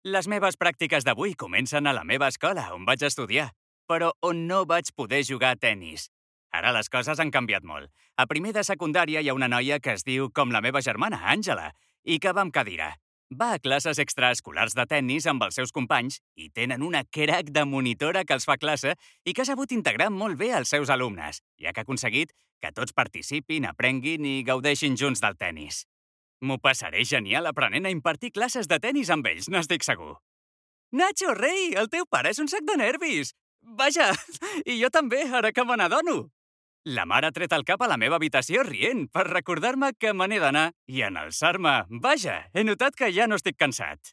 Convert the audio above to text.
Les meves pràctiques d'avui comencen a la meva escola, on vaig estudiar, però on no vaig poder jugar a tennis. Ara les coses han canviat molt. A primer de secundària hi ha una noia que es diu com la meva germana, Àngela, i que va amb cadira. Va a classes extraescolars de tennis amb els seus companys i tenen una crac de monitora que els fa classe i que ha sabut integrar molt bé els seus alumnes, ja que ha aconseguit que tots participin, aprenguin i gaudeixin junts del tennis. M'ho passaré genial aprenent a impartir classes de tennis amb ells, n'estic segur. Nacho, rei, el teu pare és un sac de nervis! Vaja, i jo també, ara que me n'adono. La mare ha tret el cap a la meva habitació rient per recordar-me que me n'he d'anar i en alçar-me. Vaja, he notat que ja no estic cansat.